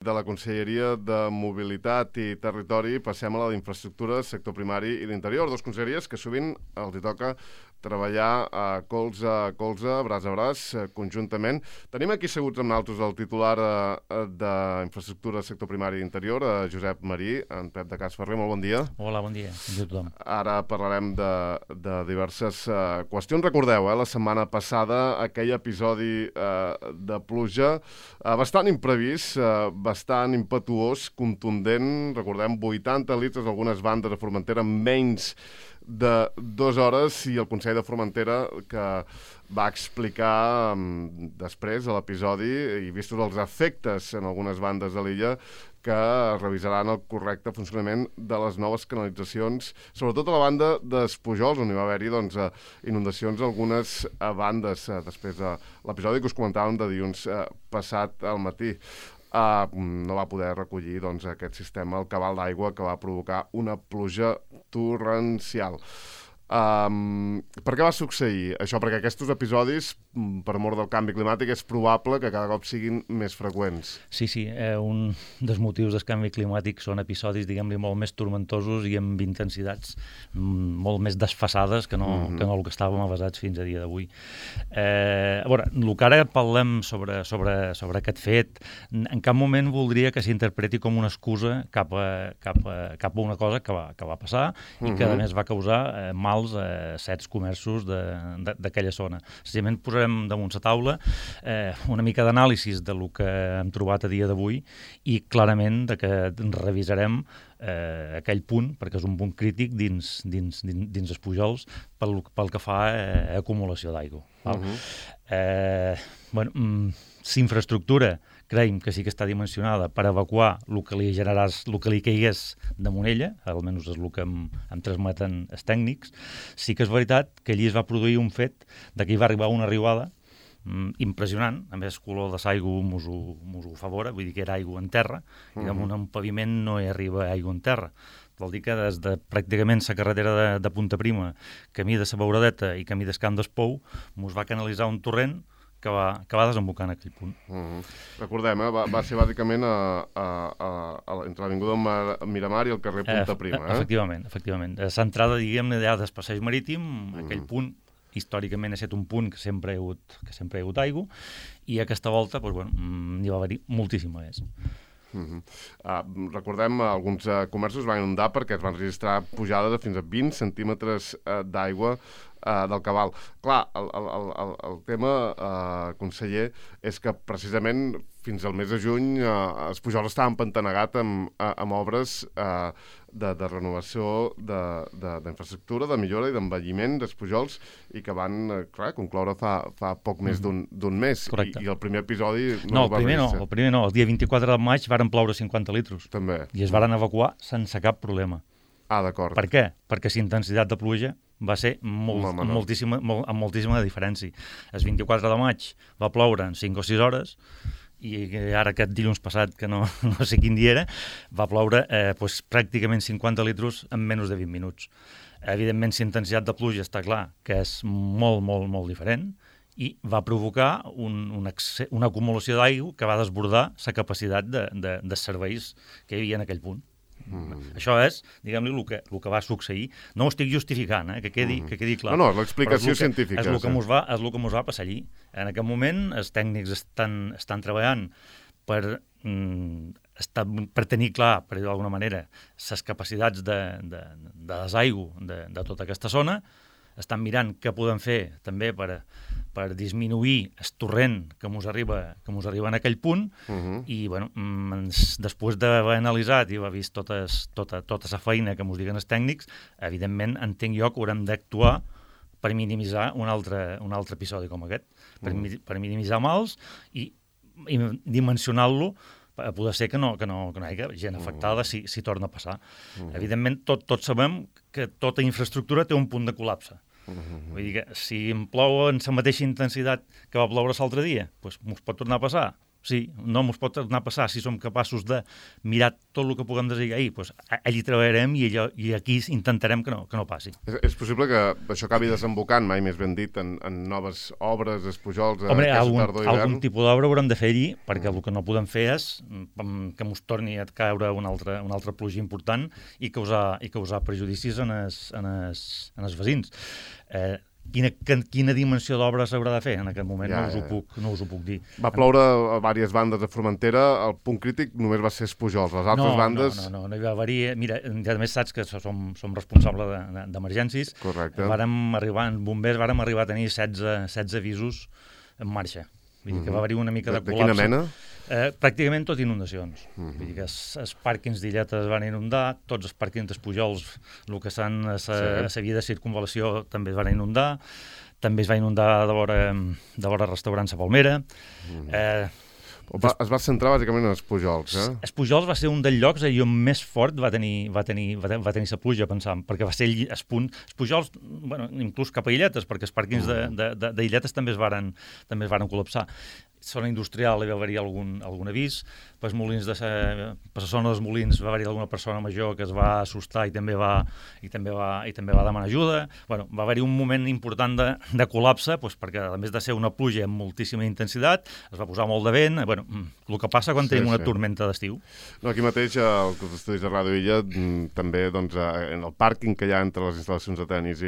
De la Conselleria de Mobilitat i Territori passem a la d'Infraestructures, Sector Primari i d'Interior, dos conselleries que sovint els hi toca treballar colze a colze, braç a braç, conjuntament. Tenim aquí seguts amb nosaltres el titular d'Infraestructures, Sector Primari i Interior, Josep Marí, en Pep de Casferrer. Molt bon dia. Hola, bon dia. Bon dia a tothom. Ara parlarem de diverses qüestions. Recordeu, la setmana passada, aquell episodi de pluja bastant imprevist, bastant impetuós, contundent. Recordem, 80 litres, algunes bandes a Formentera, menys de 2 hores, i el Consell de Formentera que va explicar després de l'episodi, i vistos els efectes en algunes bandes de l'illa, que revisaran el correcte funcionament de les noves canalitzacions, sobretot a la banda d'Espujols, on hi va haver-hi inundacions a algunes bandes, després de l'episodi que us comentàvem de dilluns passat al matí. No va poder recollir aquest sistema, el cabal d'aigua, que va provocar una pluja torrencial. Per què va succeir això? Perquè aquests episodis, per mort del canvi climàtic, és probable que cada cop siguin més freqüents. Sí, un dels motius del canvi climàtic són episodis, diguem-li, molt més tormentosos i amb intensitats molt més desfasades que no el que estàvem avasats fins a dia d'avui. A veure, el que ara parlem sobre aquest fet, en cap moment voldria que s'interpreti com una excusa cap a una cosa que va passar i que, a més, va causar mals a certs comerços d'aquella zona. Senzillament posarem damunt la taula una mica d'anàlisis del que hem trobat a dia d'avui i clarament que revisarem aquell punt, perquè és un punt crític dins els Pujols pel que fa a acumulació d'aigua. Si infraestructura creiem que sí que està dimensionada per evacuar el que li caigués damunt ella, almenys és el que em transmeten els tècnics, sí que és veritat que allí es va produir un fet de que hi va arribar una riuada impressionant. A més, el color de l'aigua mos ho favora, vull dir que era aigua en terra, i damunt un paviment no hi arriba aigua en terra. Vol dir que des de pràcticament la carretera de Punta Prima, camí de la Beuradeta i camí del Camp d'Espou, mos va canalitzar un torrent que va desembocar en aquell punt. Recordem, va ser bàsicament entre l'avinguda Miramar i el carrer Punta Prima. Efectivament. L'entrada, diguem-ne, del passeig marítim, aquell punt, històricament ha estat un punt que sempre hi ha hagut aigua, i aquesta volta n'hi va haver-hi moltíssima més. Recordem, alguns comerços van inundar perquè es van registrar pujades de fins a 20 centímetres d'aigua del cabal. Clar, el tema, conseller, és que precisament fins al mes de juny els Pujols estaven empantanegats amb obres de renovació d'infraestructura, de millora i d'envelliment dels Pujols, i que van concloure fa poc més d'un mes. Correcte. I el primer episodi el primer no. El dia 24 de maig varen ploure 50 litres. També. I es varen evacuar sense cap problema. D'acord. Per què? Perquè la intensitat de pluja va ser amb moltíssima diferència. El 24 de maig va ploure en 5 o 6 hores, i ara aquest dilluns passat, que no sé quin dia era, va ploure pràcticament 50 litres en menys de 20 minuts. Evidentment, la intensitat de pluja està clar que és molt, molt, molt diferent, i va provocar una acumulació d'aigua que va desbordar la capacitat de serveis que hi havia en aquell punt. Això és, diguem-li, el que va succeir. No ho estic justificant, que quedi clar. No, l'explicació científica. És el que mos va passar allí. En aquest moment, els tècnics estan treballant per tenir clar, per dir d'alguna manera, les capacitats de desaigua de tota aquesta zona. Estan mirant què podem fer també per disminuir el torrent que mos arriba en aquell punt, i després d'haver analitzat i haver vist tota la feina que mos diguen els tècnics, evidentment entenc jo que haurem d'actuar per minimitzar un altre episodi com aquest, per minimitzar mals i dimensionar-lo a poder ser que no hi hagi gent afectada si torna a passar. Evidentment, tots sabem que tota infraestructura té un punt de col·lapse. Vull dir que si em plou en la mateixa intensitat que va ploure l'altre dia, doncs m'ho pot tornar a passar. Sí, no ens pot tornar a passar si som capaços de mirar tot el que puguem desaiguir, doncs allí treballarem i aquí intentarem que no passi. És possible que això acabi desembocant, mai més ben dit, en noves obres, Pujols, aquesta tardor i hivern? Algun tipus d'obra haurem de fer allí, perquè el que no podem fer és que ens torni a caure una altra pluja important i causar prejudicis en els veïns. Quina dimensió d'obra s'haurà de fer en aquest moment? No us ho puc dir. Va ploure a diverses bandes de Formentera, el punt crític només va ser Pujols, les altres bandes... No hi va haver-hi... Mira, ja més saps que som responsables d'emergències. Correcte. En bombers vàrem arribar a tenir 16 avisos en marxa. Vull dir que va haver-hi una mica de col·lapse. De quina mena? Pràcticament tot inundacions. Vull dir que els pàrquings d'Illetes van inundar, tots els pàrquings de Pujols, el que la via de circunvalació també es van inundar, també es va inundar de vora restaurants a Palmera. Es va centrar bàsicament en els Pujols, eh? Els Pujols va ser un dels llocs on més fort va tenir la pluja, pensam, perquè va ser el punt... Els Pujols, inclús cap a Illetes, perquè els pàrquings d'Illetes també es varen col·lapsar. Zona industrial hi va haver-hi algun avís, per la zona dels Molins va haver-hi alguna persona major que es va assustar i també va demanar ajuda. Va haver-hi un moment important de col·lapse, perquè a més de ser una pluja amb moltíssima intensitat, es va posar molt de vent, el que passa quan tenim una tormenta d'estiu. Aquí mateix, als estudis de Ràdio Illa, també en el pàrquing que hi ha entre les instal·lacions de tenis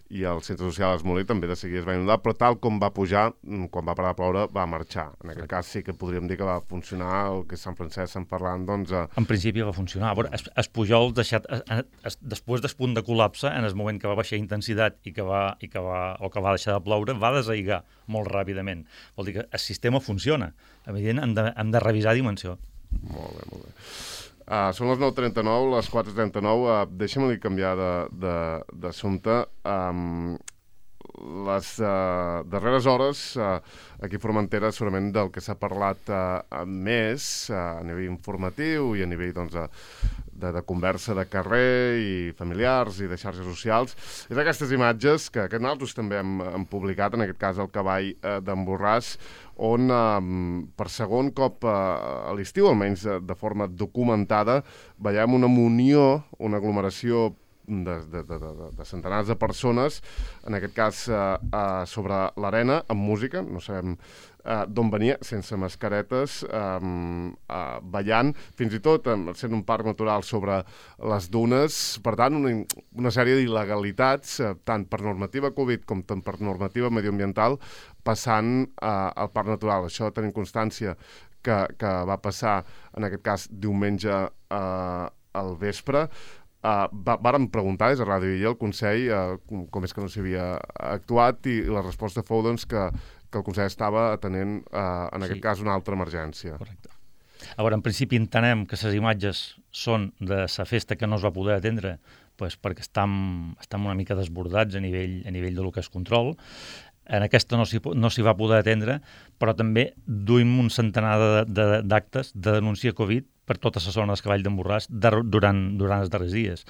i el centre social Esmolí també de seguida es va inundar, però tal com va pujar, quan va parar de ploure, va marxar. En aquest cas sí que podríem dir que va funcionar el que Sant Francesc estan parlant, doncs... En principi va funcionar. Es Pujol, després del punt de col·lapse, en el moment que va baixar intensitat o que va deixar de ploure, va desaiguar molt ràpidament. Vol dir que el sistema funciona. Evidentment, hem de revisar dimensió. Molt bé. Són les 9:39, les 4:39. Deixa'm-li canviar d'assumpte. Les darreres hores, aquí a Formentera, segurament del que s'ha parlat més a nivell informatiu i a nivell de conversa de carrer i familiars i de xarxes socials, és aquestes imatges que nosaltres també hem publicat, en aquest cas el cavall d'en Borràs, on per segon cop a l'estiu, almenys de forma documentada, veiem una munió, una aglomeració de centenars de persones, en aquest cas sobre l'arena, amb música, no sabem d'on venia, sense mascaretes, ballant, fins i tot sent un parc natural sobre les dunes. Per tant, una sèrie d'il·legalitats, tant per normativa Covid com per normativa medioambiental, passant al parc natural. Això tenim constància que va passar, en aquest cas, diumenge al vespre. Vàrem preguntar des de Ràdio Illa al Consell com és que no s'havia actuat i la resposta fou doncs, que el Consell estava atenent en aquest cas una altra emergència. Correcte. A veure, en principi entenem que les imatges són de la festa que no es va poder atendre perquè estem una mica desbordats a nivell del que és control. En aquesta no s'hi va poder atendre, però també duim un centenar d'actes de denúncia Covid per tota la zona del Cavall d'en Borràs durant els darrers dies.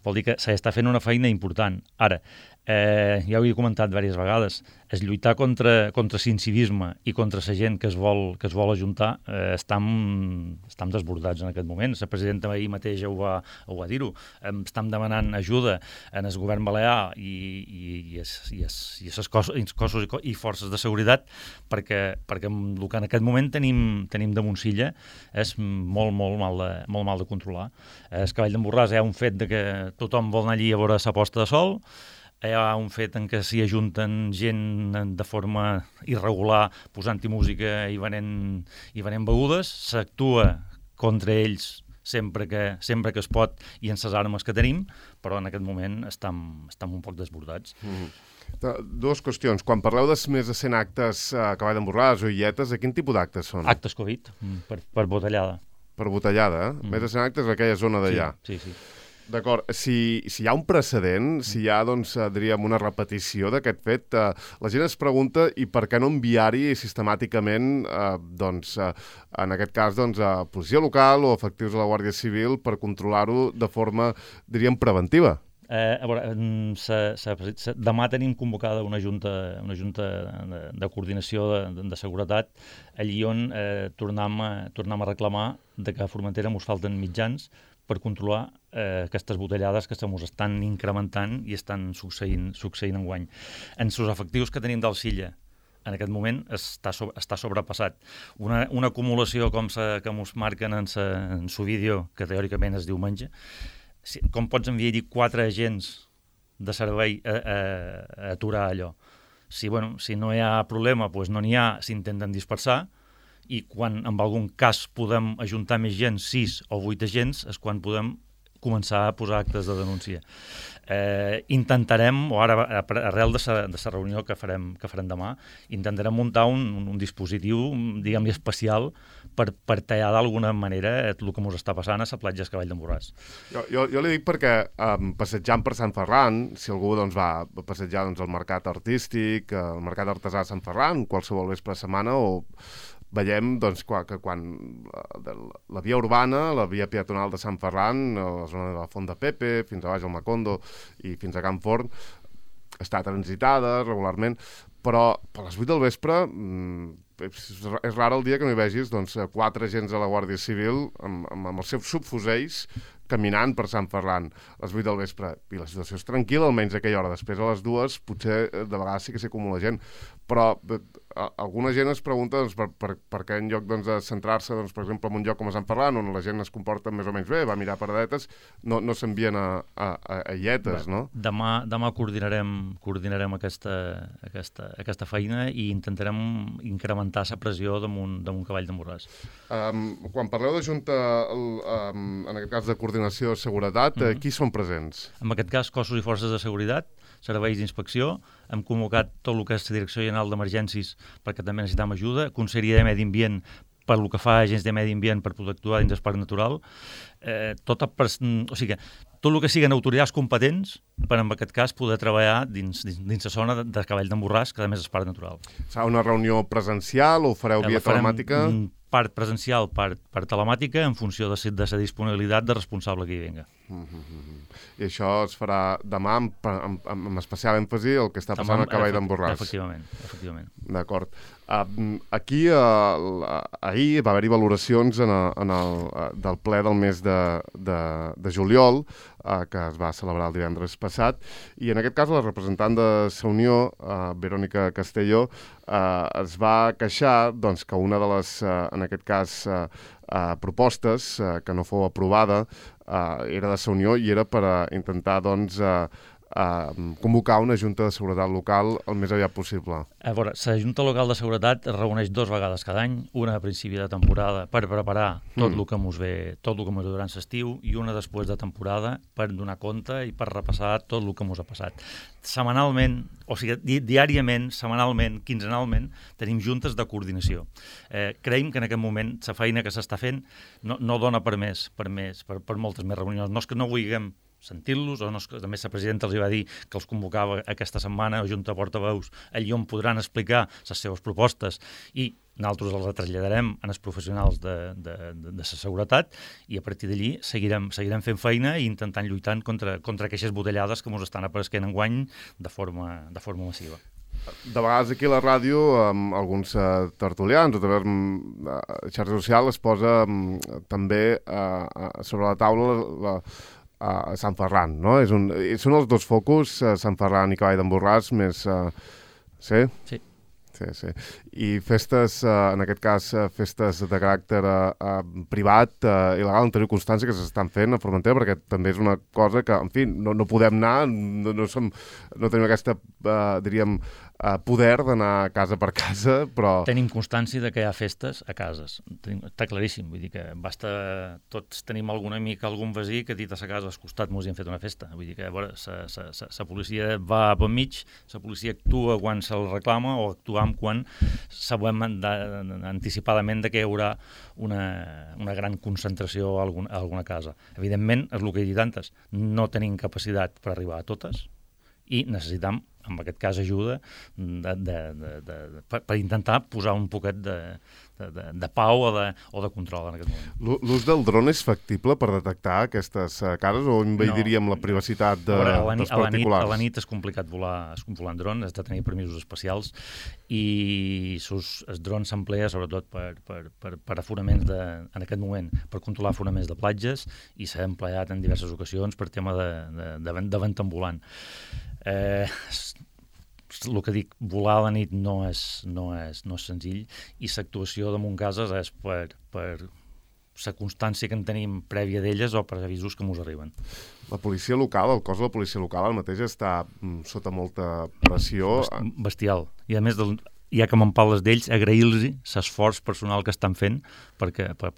Vol dir que s'està fent una feina important. Ara, ja ho he comentat diverses vegades, es lluitar contra l'incivisme i contra la gent que es vol ajuntar, estem desbordats en aquest moment. La presidenta ahir mateix ho va dir-ho. Estem demanant ajuda en el govern balear i els cossos i forces de seguretat perquè el que en aquest moment tenim damunt silla és molt mal de controlar. El Cavall d'en Borràs hi ha un fet de que tothom vol anar allí a veure la posta de sol, hi ha un fet en què s'hi ajunten gent de forma irregular posant-hi música i venent begudes, s'actua contra ells sempre que es pot i en les armes que tenim, però en aquest moment estem un poc desbordats. Dues qüestions. Quan parleu de més de 100 actes a Cavall d'en Borràs o Illetes, quin tipus d'actes són? Actes Covid, per botellada. Per botellada, eh? Més de 100 actes a aquella zona d'allà. Sí. D'acord. Si hi ha un precedent, si hi ha, diríem, una repetició d'aquest fet, la gent es pregunta i per què no enviar-hi sistemàticament, en aquest cas, a policia local o efectius de la Guàrdia Civil per controlar-ho de forma, diríem, preventiva? A veure, demà tenim convocada una junta de coordinació de seguretat, allí on tornem a reclamar de que a Formentera ens falten mitjans per controlar aquestes botellades que se mos estan incrementant i estan succeint enguany. En els efectius que tenim del Silla, en aquest moment està sobrepassat. Una acumulació que mos marquen en su vídeo, que teòricament es diu diumenge, com pots enviar-hi 4 agents de servei a aturar allò? Si no hi ha problema, doncs no n'hi ha, s'intenten dispersar, i quan en algun cas podem ajuntar més gent, 6 o 8 agents, és quan podem començar a posar actes de denúncia. Intentarem, o ara arrel de la reunió que farem demà, intentarem muntar un dispositiu, diguem-li, especial per tallar d'alguna manera el que ens està passant a la platja del Cavall d'en Borràs. Jo li dic perquè passejant per Sant Ferran, si algú va a passejar al mercat artístic, al mercat artesà de Sant Ferran, qualsevol vespre de setmana, o veiem que quan la via urbana, la via peatonal de Sant Ferran, a la zona de la Font de Pepe, fins a baix al Macondo i fins a Can Forn, està transitada regularment, però a les 8 del vespre és rar el dia que no hi vegis 4 agents de la Guàrdia Civil amb els seus subfusells caminant per Sant Ferran a les 8 del vespre. I la situació és tranquil·la, almenys a aquella hora. Després, a les 2, potser de vegades sí que s'acumula gent. Però alguna gent es pregunta per què en lloc de centrar-se, per exemple, en un lloc com a Sant Ferran, on la gent es comporta més o menys bé, va mirar paradetes, no s'envien a lletes, no? Demà coordinarem aquesta feina i intentarem incrementar la pressió damunt Cavall d'en Borràs. Quan parleu de Junta, en aquest cas de coordinació de seguretat, qui són presents? En aquest cas, cossos i forces de seguretat, serveis d'inspecció, hem convocat tot el que és la Direcció General d'Emergències perquè també necessitem ajuda, Conselleria de Medi Ambient per el que fa agents de medi ambient per poder actuar dins del parc natural, tot el que siguin autoritats competents per, en aquest cas, poder treballar dins la zona de Cavall d'en Borràs, que a més és parc natural. Serà una reunió presencial o fareu via telemàtica? Part presencial, part telemàtica, en funció de la disponibilitat de responsable que hi venga. I això es farà demà amb especial èmfasi el que està passant al Cavall d'en Borràs. Efectivament. D'acord. Aquí ahir va haver-hi valoracions del ple del mes de juliol, que es va celebrar el divendres passat, i en aquest cas la representant de la Unió, Verònica Castelló, es va queixar que una de les, en aquest cas, propostes que no fou aprovada era de la Unió i era per intentar convocar una Junta de Seguretat Local el més aviat possible. A veure, la Junta Local de Seguretat es reuneix 2 vegades cada any, una a principi de temporada per preparar tot el que mos ve durant l'estiu i una després de temporada per donar compte i per repassar tot el que mos ha passat. Setmanalment, o sigui, diàriament, setmanalment, quinzenalment, tenim juntes de coordinació. Creiem que en aquest moment la feina que s'està fent no dona per moltes més reunions. No és que no vulguem sentir-los, o no, a més la presidenta els va dir que els convocava aquesta setmana a Junta de Portaveus, allí on podran explicar les seves propostes i nosaltres els traslladarem als professionals de la seguretat i a partir d'allí seguirem fent feina i intentant lluitar contra aquestes botellades que ens estan apareixent enguany de forma massiva. De vegades aquí a la ràdio, amb alguns tertulians o també a xarxa social es posa també sobre la taula a Sant Ferran, no? Són els 2 focus, Sant Ferran i Cavall d'en Borràs, més... Sí? Sí. Sí. I festes, en aquest cas, festes de caràcter privat, il·legal, en teniu constància que s'estan fent a Formentera, perquè també és una cosa que, en fi, no podem anar, no tenim aquesta, diríem, poder d'anar casa per casa, però... Tenim constància de que hi ha festes a cases. Està claríssim, vull dir que tots tenim algun amic, algun veí que ha dit a sa casa al costat mos hi han fet una festa. Vull dir que, a veure, la policia va per mig, la policia actua quan se'l reclama o actuam quan sabem anticipadament que hi haurà una gran concentració a alguna casa. Evidentment, és el que he dit antes, no tenim capacitat per arribar a totes, i necessitam en aquest cas ajuda, per intentar posar un poquet de pau o de control en aquest moment. L'ús del dron és factible per detectar aquestes cares o impediríem la privacitat dels particulars? A la nit és complicat volar en dron, has de tenir permisos especials i els drons s'emplea sobretot per aforaments en aquest moment, per controlar aforaments de platges i s'ha empleat en diverses ocasions per tema de vent ambulant. El que dic, volar a la nit no és senzill i l'actuació de Montcases és per la constància que en tenim prèvia d'elles o per avisos que mos arriben. La policia local, el cos de la policia local ara mateix està sota molta pressió. Bestial. I a més, ja que me'n parles d'ells, agrair-los l'esforç personal que estan fent per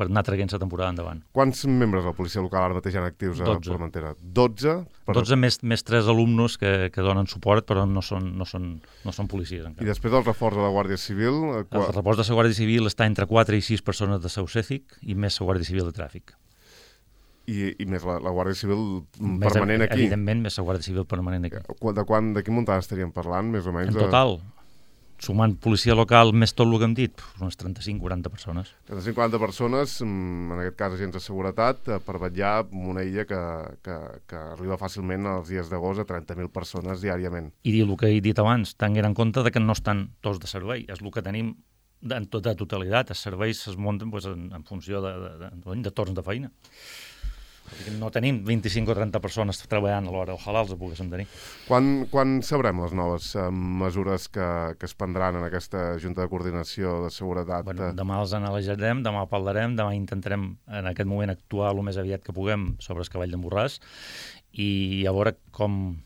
anar traient la temporada endavant. Quants membres de la policia local ara mateix hi ha actius a Formentera? 12? 12 més 3 alumnes que donen suport, però no són policies encara. I després del reforç de la Guàrdia Civil? El reforç de la Guàrdia Civil està entre 4 i 6 persones de Saucèfic i més la Guàrdia Civil de Tràfic. I més la Guàrdia Civil permanent aquí? Evidentment, més la Guàrdia Civil permanent aquí. De quin muntant estaríem parlant, més o menys? En total, sumant policia local més tot el que hem dit, unes 35-40 persones. 35-40 persones, en aquest cas agents de seguretat, per vetllar en una illa que arriba fàcilment als dies d'agost a 30.000 persones diàriament. I dir el que he dit abans, tenint en compte que no estan tots de servei, és el que tenim en tota totalitat, els serveis es munten en funció de torns de feina. No tenim 25 o 30 persones treballant alhora, ojalà els poguéssim tenir. Quan sabrem les noves mesures que es prendran en aquesta Junta de Coordinació de Seguretat? Demà els analitzarem, demà parlarem, demà intentarem en aquest moment actuar el més aviat que puguem sobre el cavall d'en Borràs i a veure com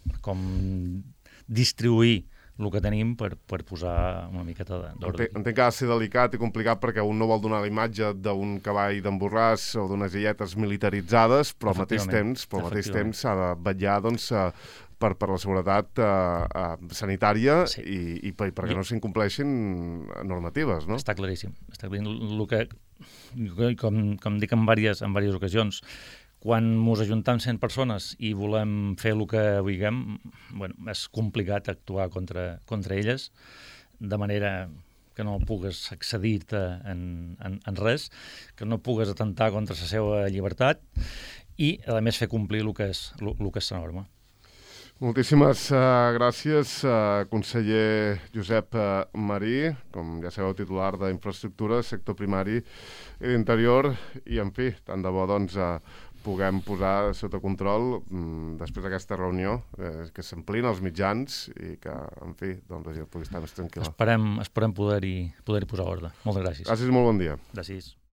distribuir el que tenim per posar una miqueta d'ordre. Entenc que ha de ser delicat i complicat perquè un no vol donar la imatge d'un cavall d'en Borràs o d'unes illetes militaritzades, però al mateix temps s'ha de vetllar per la seguretat sanitària i perquè no s'incompleixin normatives, no? Està claríssim. Com dic en diverses ocasions, quan ens ajuntem 100 persones i volem fer el que vulguem, és complicat actuar contra elles, de manera que no pugues accedir-te en res, que no pugues atentar contra la seva llibertat i, a més, fer complir el que és la norma. Moltíssimes gràcies, conseller Josep Marí, com ja sabeu, titular d'Infraestructura, sector primari i d'interior, i, en fi, tant de bo, puguem posar sota control després d'aquesta reunió, que s'amplin els mitjans i que, en fi, la gent pugui estar més tranquil·la. Esperem poder-hi posar ordre. Moltes gràcies. Gràcies i molt bon dia. Gràcies.